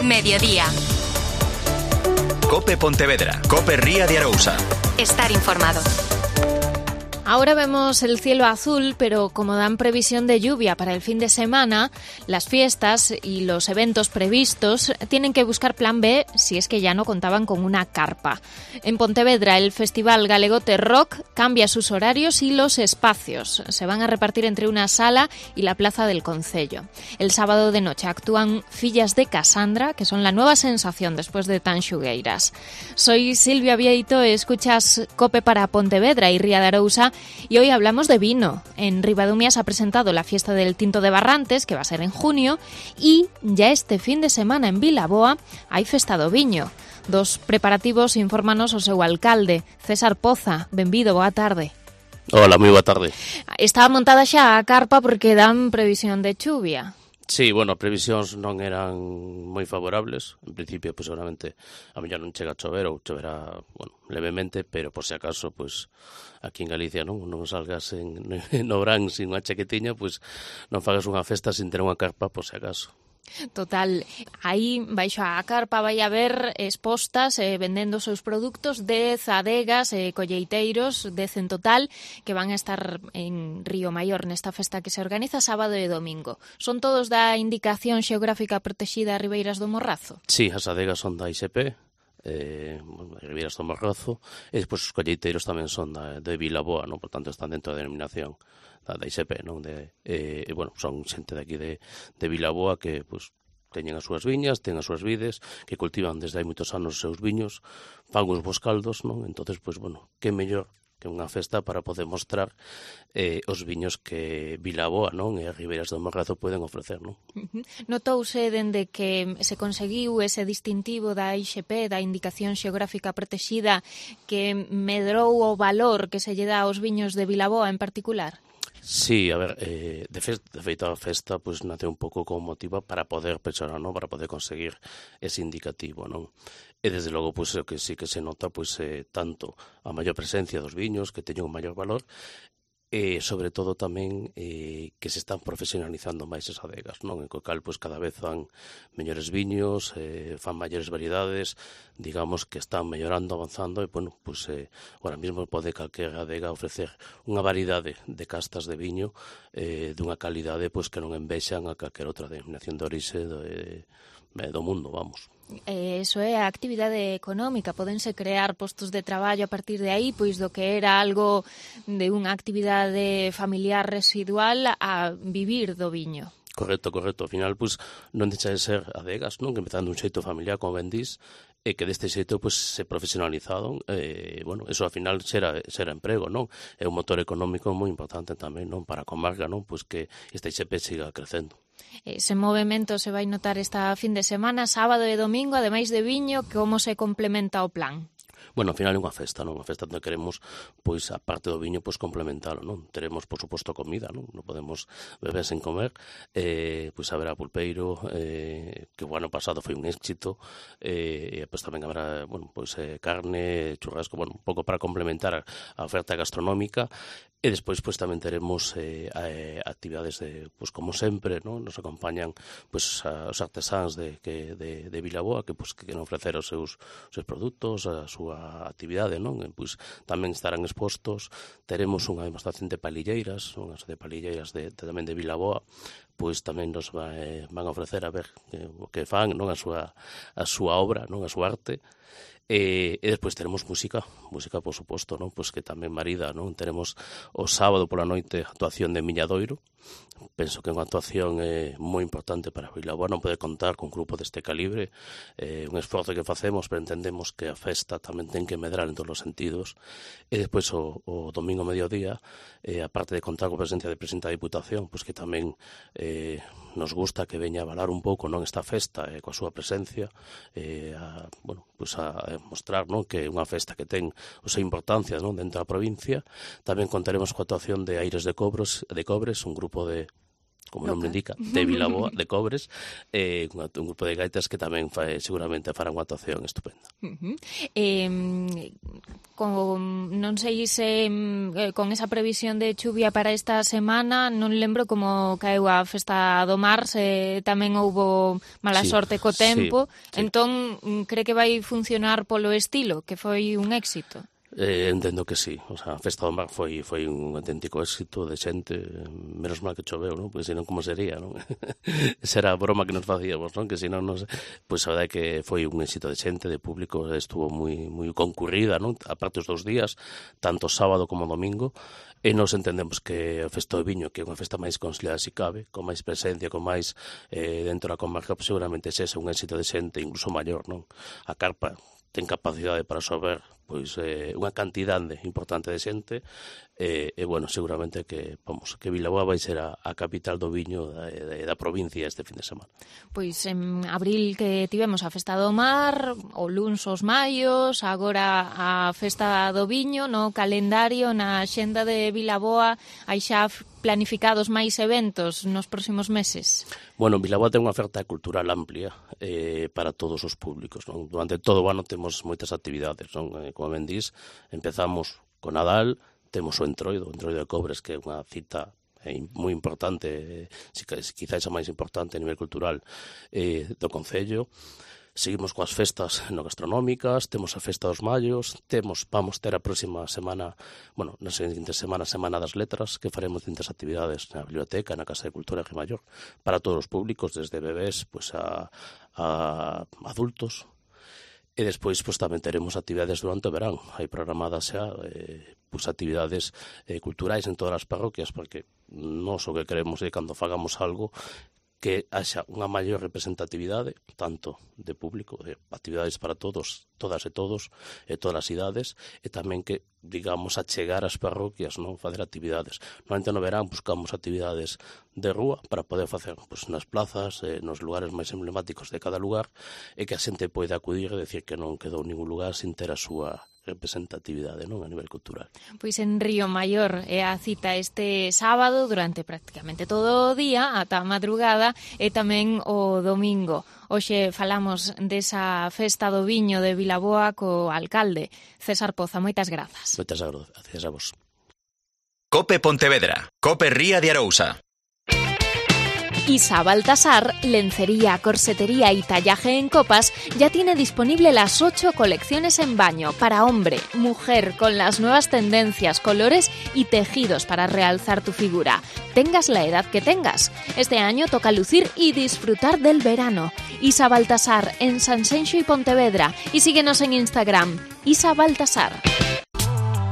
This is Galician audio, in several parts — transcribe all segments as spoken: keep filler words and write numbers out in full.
Mediodía. Cope Pontevedra, Cope Ría de Arousa. Estar informado. Ahora vemos el cielo azul, pero como dan previsión de lluvia para el fin de semana, las fiestas y los eventos previstos tienen que buscar plan B si es que ya no contaban con una carpa. En Pontevedra, el Festival Galegote Rock cambia sus horarios y los espacios. Se van a repartir entre una sala y la plaza del concello. El sábado de noche actúan Fillas de Casandra, que son la nueva sensación después de tan xugueiras. Soy Silvia Vieito, escuchas Cope para Pontevedra y Ría de Arousa. Y hoy hablamos de vino. En Ribadumia se ha presentado la fiesta del Tinto de Barrantes, que va a ser en junio, y ya este fin de semana en Vilaboa hai festa do viño. Dos preparativos infórmanos o seu alcalde, César Poza. Benvido, boa tarde. Hola, moi boa tarde. Está montada xa a carpa porque dan previsión de chuvia. Sí, bueno, as previsións non eran moi favorables. En principio, pues, seguramente, a mellor non chega a chover ou choverá, bueno, levemente, pero por si acaso, pues, aquí en Galicia non, non salgas en, no verán sin unha chaquetiña, pues, non fagas unha festa sin ter unha carpa, por si acaso. Total, aí baixo a carpa vai haber expostas eh, vendendo os seus produtos dez adegas e eh, colleiteiros, dez en total, que van a estar en Río Maior nesta festa que se organiza sábado e domingo. Son todos da Indicación Xeográfica Protexida Ribeiras do Morrazo? Sí, as adegas son da I S P, eh, Ribeiras do Morrazo, e despois os colleiteiros tamén son da, de Vilaboa, non? Por tanto están dentro da denominación da I S P, non? De, eh, e, bueno, son xente de aquí de, de Vilaboa que, pues, teñen as súas viñas, ten as súas vides, que cultivan desde hai moitos anos os seus viños, fan uns bons caldos, non? Entonces, pues, bueno, que mellor que unha festa para poder mostrar eh, os viños que Vilaboa, non? E as Ribeiras do Morrazo poden ofrecer, non? Notouse dende que se conseguiu ese distintivo da I X P, da Indicación Xeográfica Protexida, que medrou o valor que se lle dá aos viños de Vilaboa en particular? Sí, a ver, eh, de, fe, de feito a festa pues, nace un pouco como motivo para poder pensar, non? Para poder conseguir ese indicativo, non? E desde logo, pues, o que sí que se nota, pues, eh, tanto a maior presencia dos viños, que teñen un maior valor, e sobre todo tamén eh, que se están profesionalizando máis as adegas, non? En co cal, pues, cada vez fan mellores viños, eh, fan maiores variedades, digamos que están mellorando, avanzando, e, bueno, pues, eh, ahora mesmo pode calquer adega ofrecer unha variedade de castas de viño eh, dunha calidade, pues, que non envexan a calquer outra denominación de orixe do, eh, do mundo, vamos. Eh, eso é a actividade económica, podense crear postos de traballo a partir de aí, pois do que era algo de unha actividade familiar residual a vivir do viño. Correcto, correcto. Ao final, pues, non deixa de ser adegas, non? Que empezando un xeito familiar, como ben dís, e que deste xeito, pues, se profesionalizaron, e, bueno, eso ao final xera, xera emprego, non? É un motor económico moi importante tamén, non? Para a comarca, non? Pues que este I X P siga crecendo. Ese movimento se vai notar esta fin de semana, sábado e domingo, ademais de viño, como se complementa o plan? Bueno, ao final é unha festa, non? Unha festa onde queremos, pois, a parte do viño, pois, complementalo, non? Teremos, por suposto, comida, non? Non podemos beber sen comer. Eh, pois haberá pulpeiro, eh, que o ano pasado foi un éxito, eh, e pois tamén habrá, bueno, pois, eh, carne, churrasco, bueno, un pouco para complementar a oferta gastronómica. E despois, pois, tamén teremos eh, eh, actividades, de, pois, como sempre, non? Nos acompañan, pois, a, os artesáns de, que, de, de Vilaboa, que, pois, que queren ofrecer os seus, os seus produtos, a súa actividade, non? E, pois, tamén estarán expostos. Teremos unha demostración de palilleiras, unhas de palilleiras de, de, tamén de Vilaboa, pois tamén nos va, eh, van a ofrecer a ver eh, o que fan, non? A súa, a súa obra, non? A súa arte. E, e despois teremos música, música por suposto, non? Pois que tamén marida, non? Teremos o sábado pola noite actuación de Miñadoiro. Penso que é unha actuación eh, moi importante para Vilaboa, non poder contar con un grupo deste calibre, eh, un esforzo que facemos, pero entendemos que a festa tamén ten que medrar en todos os sentidos. E despois o, o domingo mediodía, eh, aparte de contar con a presencia de presidente da Diputación, pois que tamén eh, nos gusta que veña a avalar un pouco, non, esta festa eh, coa súa presencia, eh, a, bueno, pois a, a mostrar, non, que é unha festa que ten a súa importancia, non, dentro da provincia. Tamén contaremos coa actuación de Aires de Cobros, de Cobres, un grupo de como o nome indica, de Vilaboa, de Cobres, eh, un, un grupo de gaitas que tamén fai, seguramente fará unha actuación estupenda. Uh-huh. Eh, con, non sei se eh, con esa previsión de chuvia para esta semana, non lembro como caeu a Festa do Mar, se tamén houbo mala sí, sorte co tempo, sí, sí. Entón, cree que vai funcionar polo estilo, que foi un éxito? Eh, entendo que sí, o sea, a Festa do Mar foi foi un auténtico éxito de xente, menos mal que choveu, non? Porque senón como sería, non? Esa era a broma que nos facíamos, non? Que senón nos, pois a verdade é que foi un éxito de xente, de público, estuvo moi moi concurrida, non? Aparte os dous días, tanto sábado como domingo, e nos entendemos que a Festa do Viño, que é unha festa máis considerada se cabe, con máis presencia, con máis eh, dentro da comarca, pues, seguramente ese é un éxito de xente, incluso maior, non? A carpa ten capacidade para absorber pois eh, unha cantidade importante de xente e, e bueno, seguramente que vamos, que Vilaboa vai ser a, a capital do viño da, da, da provincia este fin de semana. Pois en abril que tivemos a Festa do Mar, o luns os maios, agora a Festa do Viño, no calendario, na xenda de Vilaboa, hai xa planificados máis eventos nos próximos meses? Bueno, Vilaboa ten unha oferta cultural amplia eh, para todos os públicos, non? Durante todo o ano temos moitas actividades, non? Eh, como ben dís, empezamos con Nadal, temos o Entroido, o Entroido de Cobres, que é unha cita eh, moi importante, eh, quizás a máis importante a nivel cultural eh, do Concello. Seguimos coas festas no gastronómicas, temos a Festa dos Mallos, temos, vamos ter a próxima semana, bueno, na seguinte semana, Semana das Letras, que faremos distintas actividades na biblioteca, na Casa de Cultura de Maior, para todos os públicos, desde bebés pues, a, a adultos. E despois pues, tamén teremos actividades durante o verán. Hai programadas xa eh, pues, actividades eh, culturais en todas as parroquias, porque nós o que queremos é cando fagamos algo que haxa unha maior representatividade, tanto de público, de actividades para todos, todas e todos, e todas as idades, e tamén que, digamos, achegar as parroquias, non facer actividades. Normalmente no verán buscamos actividades de rúa para poder facer pues, nas plazas, eh, nos lugares máis emblemáticos de cada lugar, e que a xente pode acudir e decir que non quedou ningún lugar sin ter a súa representatividade, non, a nivel cultural. Pois en Río Maior é a cita este sábado durante prácticamente todo o día ata a madrugada e tamén o domingo. Hoxe falamos desa Festa do Viño de Vilaboa co alcalde César Poza. Moitas grazas. Moitas grazas a vos. Cope Pontevedra, Cope Ría de Arousa. Isa Baltasar, lencería, corsetería y tallaje en copas, ya tiene disponible las ocho colecciones en baño para hombre, mujer, con las nuevas tendencias, colores y tejidos para realzar tu figura. Tengas la edad que tengas. Este año toca lucir y disfrutar del verano. Isa Baltasar, en Sanxenxo y Pontevedra. Y síguenos en Instagram, Isa Baltasar.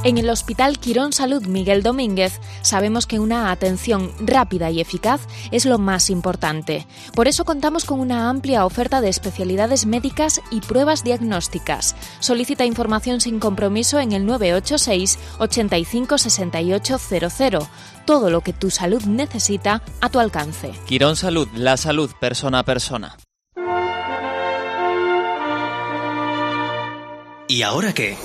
En el Hospital Quirón Salud Miguel Domínguez sabemos que una atención rápida y eficaz es lo más importante. Por eso contamos con una amplia oferta de especialidades médicas y pruebas diagnósticas. Solicita información sin compromiso en el nueve ocho seis, ochenta y cinco, sesenta y ocho cero cero. Todo lo que tu salud necesita a tu alcance. Quirón Salud, la salud persona a persona. ¿Y ahora qué?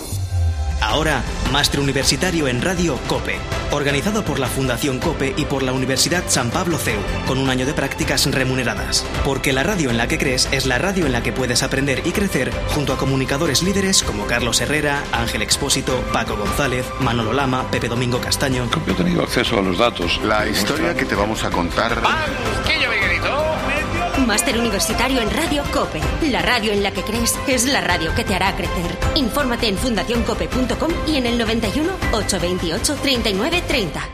Ahora, Máster Universitario en Radio COPE, organizado por la Fundación COPE y por la Universidad San Pablo C E U, con un año de prácticas remuneradas. Porque la radio en la que crees es la radio en la que puedes aprender y crecer junto a comunicadores líderes como Carlos Herrera, Ángel Expósito, Paco González, Manolo Lama, Pepe Domingo Castaño. Yo he tenido acceso a los datos. La historia que te vamos a contar... ¡Banquillo, Miguelito! Máster Universitario en Radio COPE. La radio en la que crees es la radio que te hará crecer. Infórmate en fundación cope punto com y en el noventa y uno, ochocientos veintiocho, treinta y nueve treinta.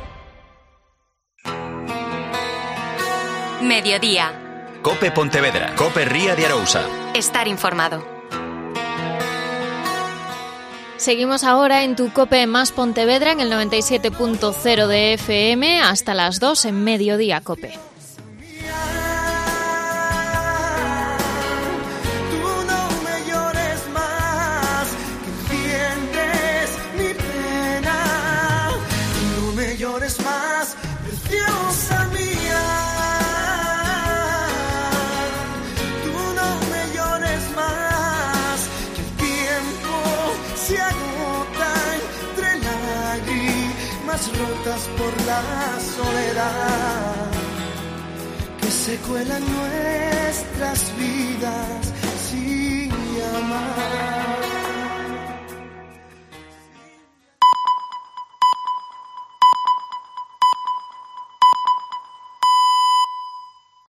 Mediodía. Cope Pontevedra. Cope Ría de Arousa. Estar informado. Seguimos ahora en tu Cope más Pontevedra en el noventa y siete punto cero de F M hasta las dos en Mediodía Cope. Rotas por la soledad. se cuelan nuestras vidas sin llamar.